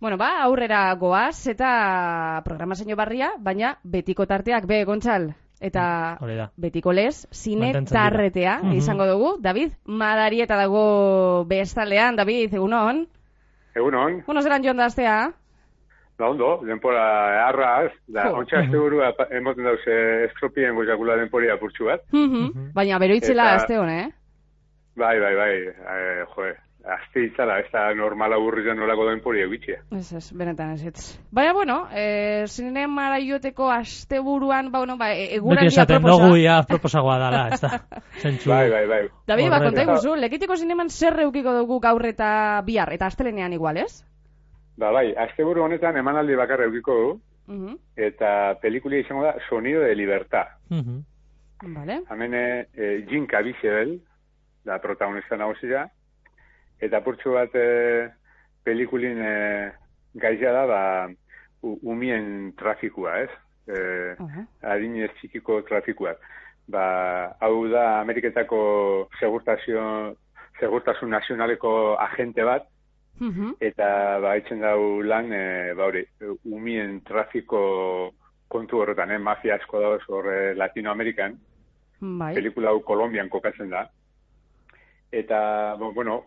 Bueno, aurrera goaz eta programazio barria, baina betiko tarteak Gontzal. Eta betiko lez, zine tarretea izango dugu. David, Madarieta dago bestalean. David, egunon? Egunon. Bueno, zelan joan da aztea? Ondo, denpora arraz, da, ontsa azte burua emoten dauz estropien goizakula denporia apurtxu bat. Baina beroitzela azte hone, Bai, joe, azte itzala, ez da normala burrizan nolako denporia egitxea. Ez, benetan ez. Baina, bueno, zine maraioteko azte buruan, beti esaten dugu ia proposagoa dala, ez da. Bai. David, konta iguzu, lekitiko zineman zer eukiko dugu gaur eta bihar, eta astelenean igual, ez? Bai, asteburu honetan emanaldi bakarra eukiko du, eta pelikulia izango da Sonido de Libertad. Vale. Hemen Jim Caviezel, da protagonista nagusia, eta purtsu bat pelikulin gaizia da, umien trafikua, ez? Adinez txikiko trafikuak. Hau da Ameriketako segurtasun nazionaleko agente bat, eta haitzen dau lan umien trafiko kontu horretan, mafia asko dauz horre Latinoamerikan, pelikula hau Kolombian kokatzen da, eta,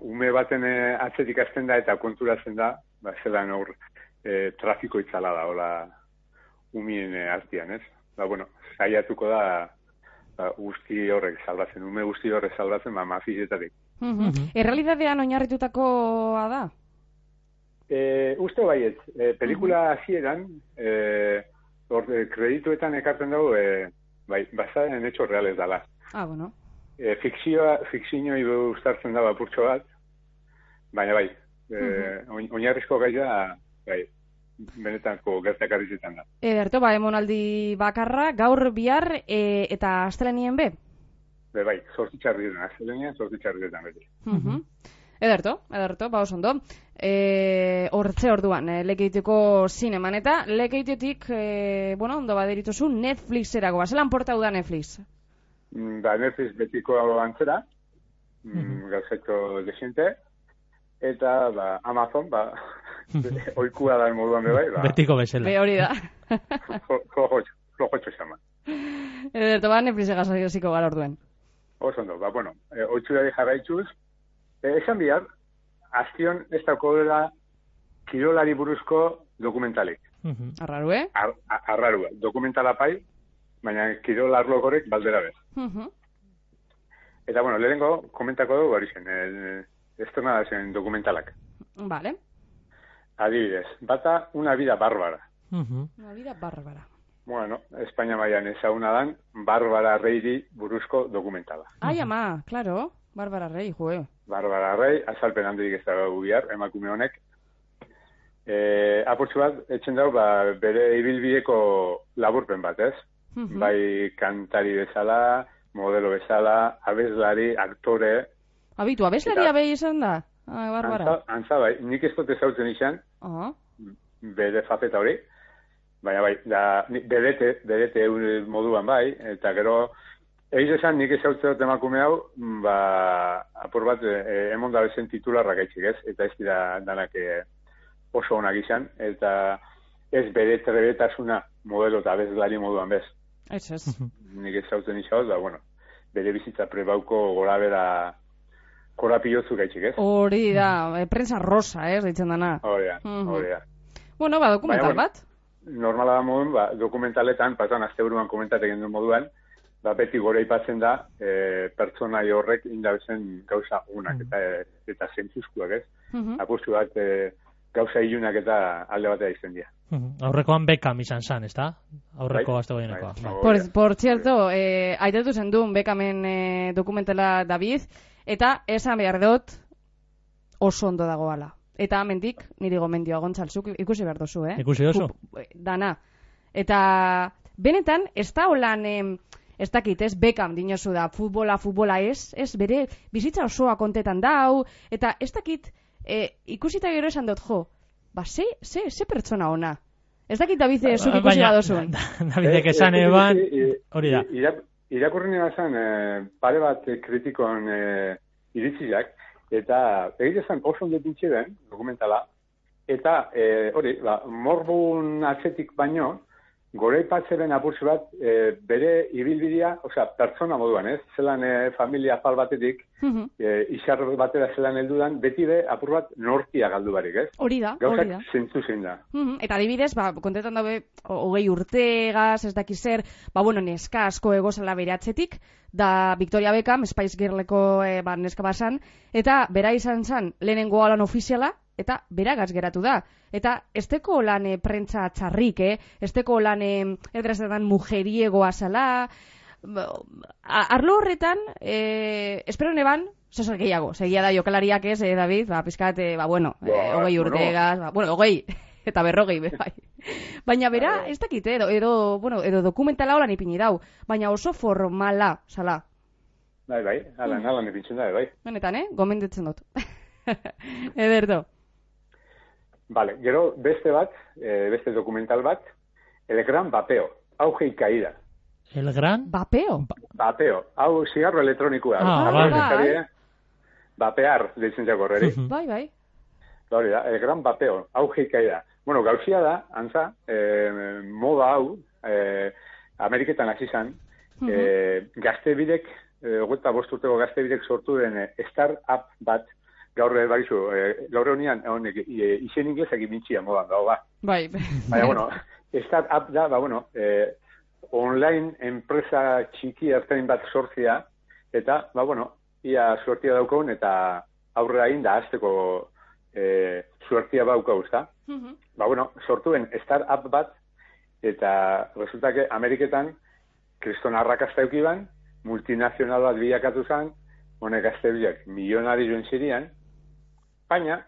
ume baten atzetik azten da eta konturatzen da, zelan hor trafiko itzala da, hola umien artian, ez? Saiatuko da guzti horrek salbatzen, ume guzti horrek salbatzen, mafietatik. Errealidadean oinarritutakoa da? Uste baiet, pelikula hasieran, kredituetan ekartzen dugu, basaren hecho reales dala. Bueno. Fikzioi ustartzen da apurtxo bat, baina oinarrizko gaia, benetako gertakarrizetan da. Ederto, emonaldi bakarra, gaur bihar eta astelenean be? Zortzitxarrietan, astelenean zortzitxarrietan beti. Ederto, oso ondo. Hortze orduan, lekeiteko zineman eta lekeitetik, ondo baderituzu Netflixerako, zelan portau da Netflix? Netflix betiko antzera, gauzeko desiente, eta Amazon, oikua da moduan bebai. Betiko bezala. Be hori da. Flojotxo xama. Ederto, Netflix egaziko gara orduen. Oso ondo, oitxurari jarraitzuz, esan bihar, azkion ez dauko dela kirolari buruzko dokumentalik. Arrarue? Arrarue, dokumentala pai, baina kirolar lokorek baldera bez. Eta, lehenengo komentako dugu hori zen, estona da zen dokumentalak. Vale. Adibidez, bata una vida bárbara. Una vida bárbara. Espainia mailan ezaguna dan, Bárbara Reiri buruzko dokumentala. Ama, claro, Bárbara Rey, joe. Bárbara Rey, azalpen handirik ez dago bihar, emakume honek. Apurtzu bat, etxen dago, bere ibilbideko laburpen bat, ez? Bai kantari bezala, modelo bezala, abeslari, aktore. Abeslari abei izan da? Bárbara. Antza nik ez dut ezautzen izan, bere fapeta hori. Baina bedete moduan eta gero, egiz esan nik ezautzen dut emakume hau, apur bat, emon da bezen titularra gaitxik, ez? Eta ez dira danak oso onak izan, eta ez bere trebetasuna modelo eta abeslari moduan bez. Ez. Nik ezautzen izan, bere bizitza prebauko gora bera korapiozu gaitxik, ez? Hori da, prensa rosa, ez, ditzen dana. Hori da. Dokumental bat? Normala da modun, dokumentaletan, patan asteburuan komentatek egin moduan, beti gore ipatzen da, pertsonai horrek indabezen gauza unak eta zentzuzkuak, ez? Apustu bat, gauza ilunak eta alde batea izan dira. Aurrekoan Beckham izan zan, ez da? Aurreko gazte goienekoa. Por cierto, aitatu zen duen Beckhamen dokumentala David, eta esan behar dut oso ondo dagoala. Eta amendik, niri gomendioa Gontzalzuk ikusi behar dozu, Ikusi dozu? Dana. Eta benetan, ez da holan, ez dakit, ez Beckham dinozu da, futbola ez bere bizitza osoa kontetan dau, eta ez dakit, ikusita gero esan dut, ze pertsona ona. Ez dakit David zuk ikusi badozun. Davidek esan eban, hori da. Irakurri nena zen, pare bat kritikoan iritziak, eta egite zen oso ondo dintxe den, dokumentala, eta hori, morbun atzetik baino, goraipatzeren apurtzu bat, bere ibilbidea, pertsona moduan, ez? Zelan familia apal batetik, izar batera zelan heldudan, beti be apur bat nortia galdu barik, ez? Hori da. Gauzak zentzu zein da. Eta adibidez, kontetan dabe, 20 urtegaz, ez dakiz zer, neska asko egozala bere atzetik, da Victoria Beckham, Spice Girleko neska basan, eta bera izan zen lehenengo lan ofiziala, eta beragaz geratu da. Eta esteko lan prentza txarrik, esteko lan edrezetan mujeriegoa zala, arlo horretan, espero neban, zozer gehiago, segia da jokalariak ez, David, pizkat, 20 urtegaz, 20, eta 40, bai. Baina bera, ez dakit, edo dokumentala holan ipini dau, baina oso formala, zala. Bai, alan ipintzen da, bai. Benetan, gomendetzen dut. Ederto. Vale, gero beste dokumental bat, El Gran Vapeo, auge y caída. El Gran? Vapeo? Vapeo, hau zigarro elektronikoa. Bai. Vapear, deitzen jako horreri. Bai. Hori da, El Gran Vapeo, auge y caída. Bueno, gauzia da, antza, moda hau, Ameriketan hasi zan, gaztebidek, 25 urteko gaztebidek sortu den start-up bat, gaur honian, izen inglesak imitxia modan dago, ba. Bai. Baina, start-up da, online enpresa txiki ertain bat sortzia, eta, ia suertia daukaun, eta aurrera egin da, azteko suertia baukau, ezta? Sortuen start-up bat, eta resulta que Ameriketan kriston arrakasta eukiban, multinazional bat bilakatu zen, honek gaztebiak milionari joan zirian, baina,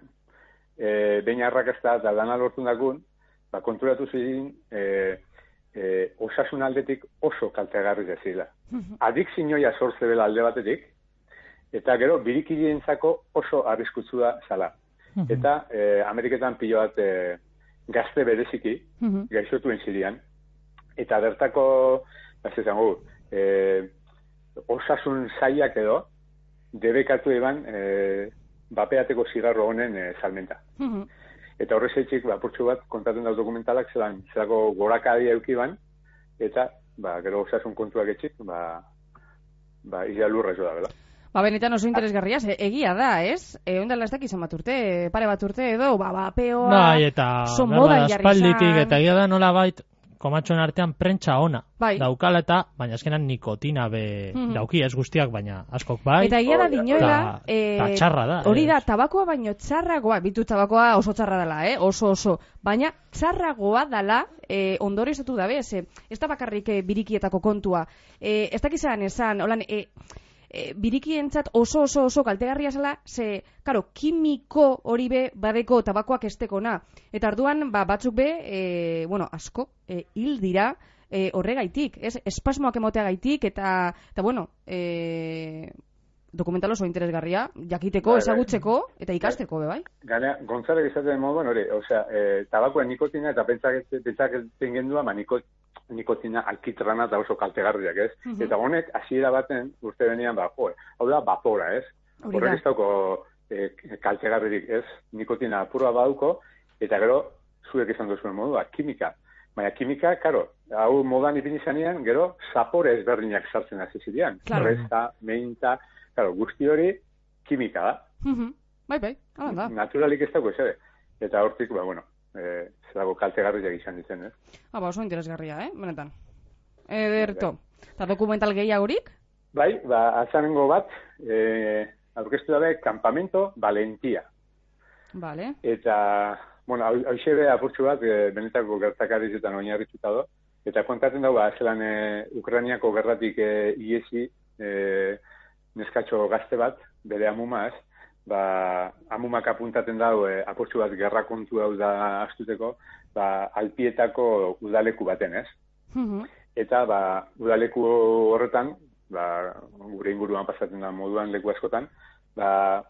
behin arrakasta eta dana lortu dakun, konturatu zirin osasun aldetik oso kaltegarri zazila. Adikzinoia sortze bela alde batetik, eta gero birikilientzako oso arriskutsu da zala. Eta Ameriketan pilo bat gazte bereziki, gaixotuen zirian, eta bertako, osasun zaiak edo, debekatu eban bapeateko zigarro honen salmenta. Eta horrezetxik, apurtxu bat, kontatzen dau dokumentalak, zelako gorakadia eukiban, eta, gero osasun kontuak etxik, izia lurra zo da, bela. Benetan oso interesgarria, egia da, ez? Ondala ez dakizan bat urte, pare bat urte edo, bapeoa, oso moda jarri zan. Eta egia da nola bait, komatxoen artean prentsa ona daukala eta, baina azkenan nikotina dauki ez guztiak, baina askok bai. Eta egia da dinoela, eta txarra da. Hori da, tabakoa baino txarragoa, bitu tabakoa oso txarra dela, oso, baina txarragoa dela ondore izatu dabe, ez da bakarrik birikietako kontua. Ez dakizan esan, holan, birikientzat oso kaltegarria zela, kimiko hori be badeko tabakoak estekona. Eta arduan, batzuk be, asko, hil dira horregaitik, espasmoak emoteagaitik, eta dokumental oso interesgarria, jakiteko, ezagutzeko, eta ikasteko, bai? Gana, Gonzalek izaten moduan, hori, tabakoa nikotina eta pentsaketzen gendua, nikotina alkitrana eta oso kaltegarriak, ez? Eta honek, hasiera baten, urte benian, hau da, vapora, ez? Horrek ez dauko kaltegarririk, ez? Nikotina apurua baduko, eta gero, zuek izan duzuen modua, kimika. Baina kimika, karo, hau modan ipin izanean, gero, zapore ezberdinak sartzen hasi zirean. Resta, meinta, karo, guzti hori, kimika da. Bai, hala da. Naturalik ez dago, ez? Eta hortik, zelago kaltegarriak izan ditzen, ez? Oso interesgarria, benetan. Ederto. Eta dokumental gehiagorik? Bai, azanengo bat, aurkeztu dabe, Campamento Valentia. Vale. Eta, hau xebe apurtxu bat, benetako gertakarizetan oinarrituta do, eta kontatzen dago, zelan Ukrainiako gerratik iesi neskatxo gazte bat, bere amumaz, amumak apuntaten dago, apurtxu bat gerra kontu hau da astuteko, Alpietako udaleku baten, ez? Eta, udaleku horretan, gure inguruan pasatzen da moduan leku askotan,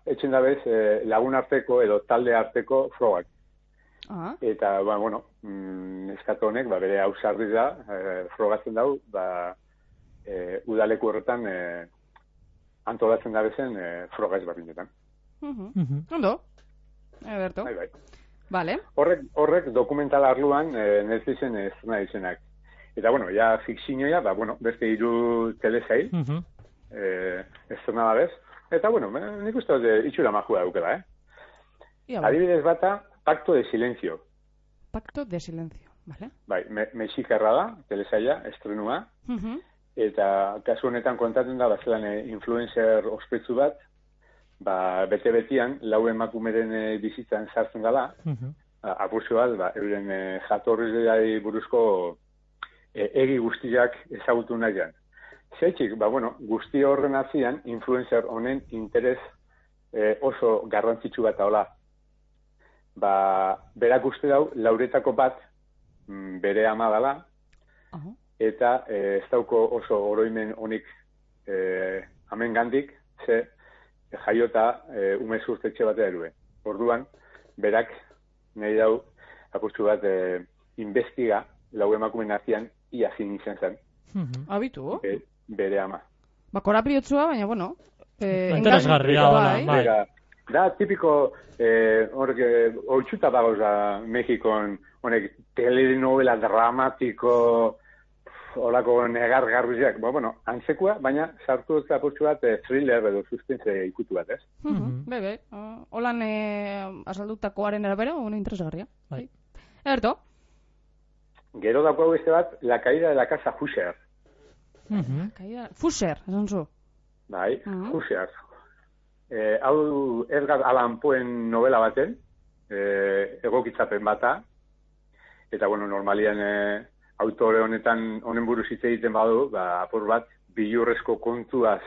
etxen dabez lagun arteko edo talde arteko frogak. Eta, neskato honek, bere hausarri da, frogatzen dau, udaleku horretan antolatzen dabezen froga ezberdinetan. Ondo? Eberto. Bai. Vale. Horrek dokumental arluan Netflixen estrena izenak. Eta, bueno, ja fikzioa, beste 3 telesail, estrena da bez. Eta, bueno, nik uste itxura majua daukela, Adibidez bata, Pacto de Silencio. Pacto de Silencio, vale. Bai, mexikarra da, telesaila, estrenua. Eta kasu honetan kontatzen da, bazelan influencer ospetsu bat, bete-betian, 4 emakumeren bizitzan sartzen gala, apurtxo bat, euren jatorrizai buruzko egi guztiak ezagutu nahian. Zeitzik, guzti horren atzian, influencer honen interes oso garrantzitsu bat hola. Berak uste dau, lauretako bat bere ama dela, eta ez dauko oso oroimen honik amen gandik, ze jaiota umezurtetxe batea erue. Orduan, berak nahi dau, apurtxu bat, investiga, 4 emakumen artean, ia zin izan zen. Abitu? Bere ama. Korapriotzua, baina, bueno... Interesgarria, bai. Da, tipiko, oitzuta bagoza Mexikon, honek, telenovela dramatiko, horako negar-garbiziak, antzekoa, baina sartu dut apurtxu bat thriller edo suspense ikutu bat, ez? Bebe, holan azaldutakoaren erabera, interesgarria. Bai. Eberto? Gero dago beste bat, La caída de la casa Fusher. Fusher, esan zu? Bai, Fusher. Hau Edgar Allan Poen novela baten, egokitzapen bata, eta, normalian autore honen buruz hitz egiten badu, apur bat, bilurrezko kontuaz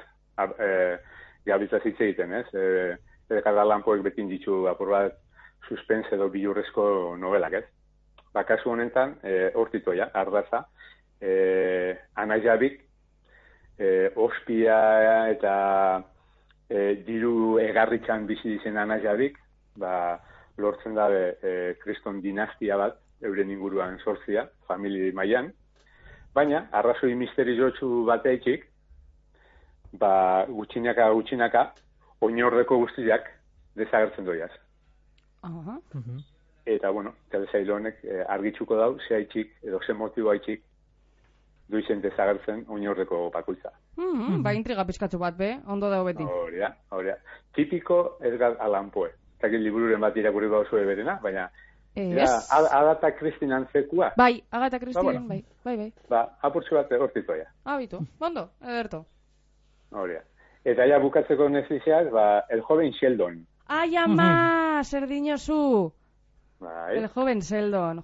gabiltza hitz egiten, ez? Edgar Allan Poek betin ditu apur bat suspense edo bilurrezko novelak, ez? Kasu honetan, hortitoia, ardaza, anaiabik, ospia eta diru egarrikan bizi dizen anaiabik, lortzen dabe kriston dinastia bat, euren inguruan sortzia, famili mailan, baina, arrazoi misteriotsu bateikik, gutxinaka, oinordeko guztiak desagertzen doiaz. Eta, telesail honek argitzuko dau, ze haitxik, edo ze motibo haitxik, duizen desagertzen oinordeko bakoitza. Intriga pizkatzu bat, ondo dago beti. Hori da. Tipiko Edgar Allan Poe. Eta libururen bat irakurri bauzu berena, baina Agatha Christie antzekua. Bai, Agatha Christie, bai. Apurtzu bat hortitoia. Abitu, ondo, Ederto. Hori da. Eta ja bukatzeko Netflixak, El joven Sheldon. Ai, ama, zer dinozu. Bai. El joven Sheldon,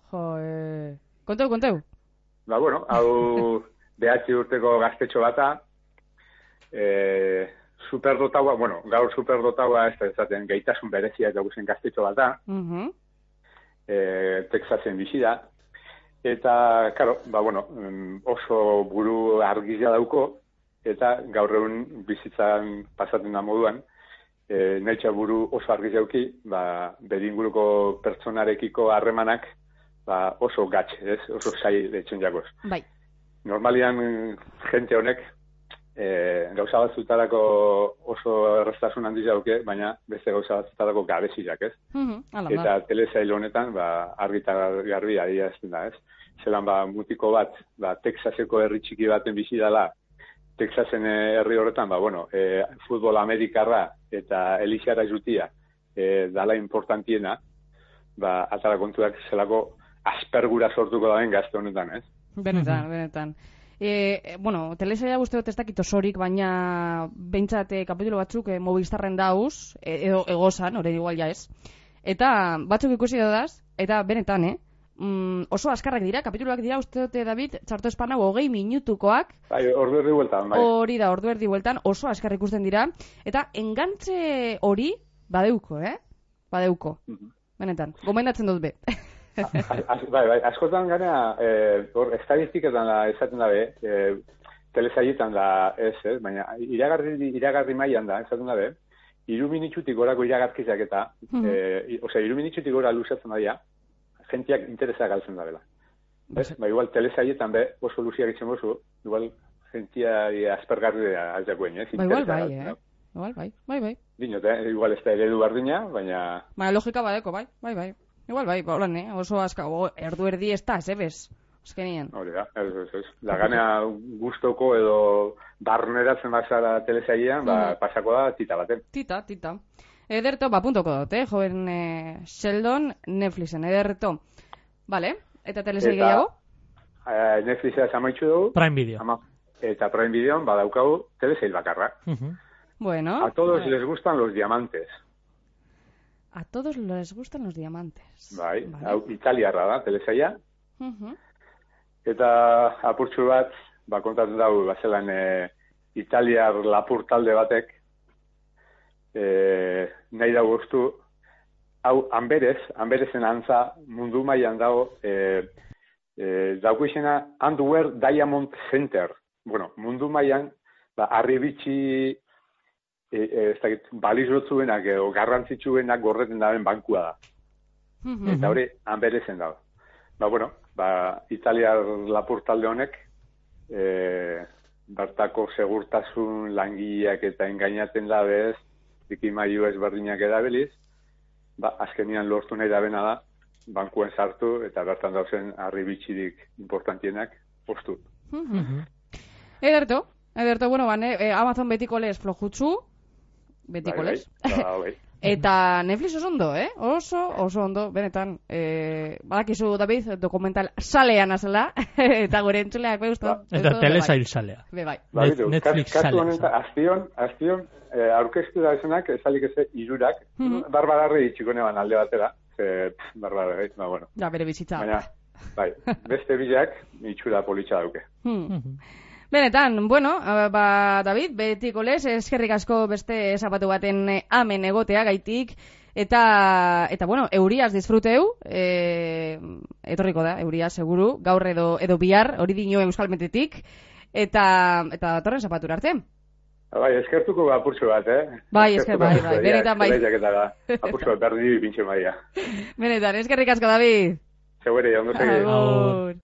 Konteu. Hau 9 urteko gaztetxo bata, superdotaua, gaur superdotaua ez da ezaten gaitasun berezia eta guzen gaztetxo bata, Texasen bizi da, eta, oso buru argizia dauko, eta gaur egun bizitzan pasatzen da moduan, nahitxa buru oso argizia dauki, beringuruko pertsonarekiko harremanak, oso gatz, ez? Oso zai detxen jakoz. Bai. Normalian, jente honek, gauza batzutarako oso errestasun handiz dauke, baina beste gauza batzutarako gabeziak, ez? Eta telesail honetan, argita garbi adierazten da, ez? Zelan, mutiko bat, Texaseko herri txiki baten bizi dela, Texasen herri horretan, futbol amerikarra eta elixara jutia dala importantiena, atara kontuak zelako aspergura sortuko daen gazte honetan, ez? Benetan. Telesaila guztiot ez dakit osorik, baina behintzat kapitulo batzuk Movistarren dauz, edo egozan, orain igual ja ez. Eta batzuk ikusi dodaz, eta benetan, oso askarrak dira, kapituloak dira, uste dute, David, txarto espanau 20 minutukoak. Ordu erdi bueltan, bai. Hori da, ordu erdi bueltan, oso askar ikusten dira. Eta engantze hori, badeuko. Benetan, gomendatzen dut be. Bai, askotan gara, estadistiketan esaten dabe, telesailetan da ez, baina iragarri mailan da, esaten dabe, 3 minutzutik gorako iragarkizak eta, 3 minutzutik gora luzatzen daia, jentiak interesa galtzen dabela. Igual telesailetan be, oso luziak itzen bozu, igual jentia aspergarri altzakuen, ez? Igual bai. Dinot, igual ez da eredu bardina, baina... Logika badeko, bai. Igual, bai, holan, oso aska, erdu erdi ez da, ez ebez, azkenien. Hori da, ez. Da ganea gustoko edo barneratzen bazara telesailean, pasako da tita baten. Tita. Ederto, puntoko dut, joven Sheldon, Netflixen, ederto. Vale, eta telesail gehiago? Netflixa amaitzu dugu. Prime Video. Eta Prime Videon badaukagu telesail bakarra. Bueno. A todos les gustan los diamantes. A todos les gustan los diamantes. Bai, hau italiarra da, telesaila. Eta apurtxu bat, kontatzen dago, bazelan italiar lapur talde batek, nahi dago guztu, hau Amberezen antza mundu mailan dago, dauko izena Underwear Diamond Center. Bueno, mundu mailan, arribitxi, balizotzuenak edo garrantzitsuenak gorreten daben bankua da. Eta hori Amberezen dago. Italiar lapur talde honek, bertako segurtasun langileak eta engainaten dabez, dikimailu ezberdinak edabiliz, azkenian lortu nahi dabena da, bankuen sartu eta bertan dauzen arribitxirik importantienak postu. Ederto, bueno, Amazon betiko lez flojutzu, betiko lez. Eta Netflix oso ondo, oso ondo, benetan. Badakizu, David, dokumental salean azela, eta gure entzuleak behustu. Eta telesail salea. Bai. Netflix salea. Aztion, aurkeztu da esanak, ezalik ez irurak, barbararri itxikone ban alde batera. Barbararri, bueno. Ja, bere bizitza. Baina, beste bilak, itxura politxa dauke. Benetan, bueno, David, betiko lez, eskerrik asko beste zapatu baten amen egotea gaitik, eta bueno, euriaz disfruteu, etorriko da, euria, seguru, gaur edo bihar, hori dino euskalmetetik, eta datorren zapatura arte. Bai, eskertuko apurtxo bat, Bai, benetan bai. Apurtxo bat berdi pintxe maia. Benetan, eskerrik asko, David. Segure, ondo segi. Agur.